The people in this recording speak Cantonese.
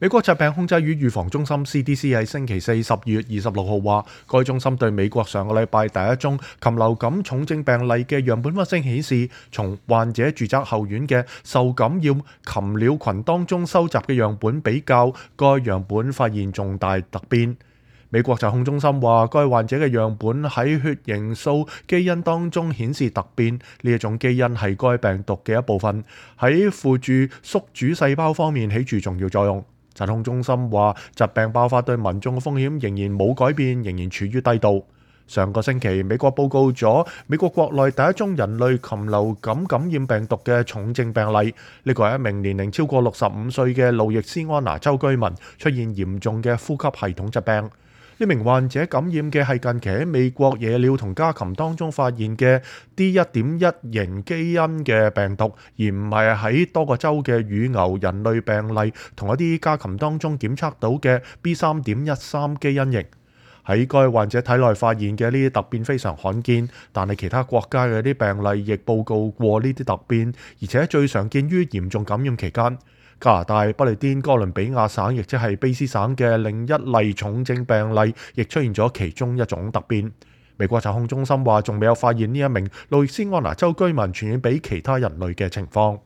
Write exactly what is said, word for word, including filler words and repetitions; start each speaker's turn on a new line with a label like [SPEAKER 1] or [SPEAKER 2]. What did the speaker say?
[SPEAKER 1] 美國疾病控制與預防中心 C D C 喺星期四十二月二十六號話，該中心對美國上個禮拜第一宗禽流感重症病例嘅樣本分析顯示，從患者住宅後院嘅受感染禽鳥群當中收集嘅樣本比較，該樣本發現重大突變。美國疾控中心話，該患者嘅樣本喺血凝素基因當中顯示突變，呢一種基因係該病毒嘅一部分，喺輔助宿主細胞方面起住重要作用。疾控中心話，疾病爆發對民眾嘅風險仍然冇改變，仍然處於低度。上個星期，美國報告咗美國國內第一宗人類禽流感感染病毒嘅重症病例。呢個係一名年齡超過六十五歲嘅路易斯安那州居民，出現嚴重嘅呼吸系統疾病。呢名患者感染嘅係近期喺美國野鳥同家禽當中發現嘅 D 一點一 型基因嘅病毒，而唔係喺多個州嘅乳牛人類病例同一啲家禽當中檢測到嘅 B 三點一三 基因型。喺該患者體內發現嘅呢啲突變非常罕見，但係其他國家嘅啲病例亦報告過呢啲突變，而且最常見於嚴重感染期間。加拿大不列顛哥倫比亞省，亦即係卑斯省嘅另一例重症病例，亦出現咗其中一種突變。美國疾控中心話，仲未有發現呢一名路易斯安那州居民傳染俾其他人類嘅情況。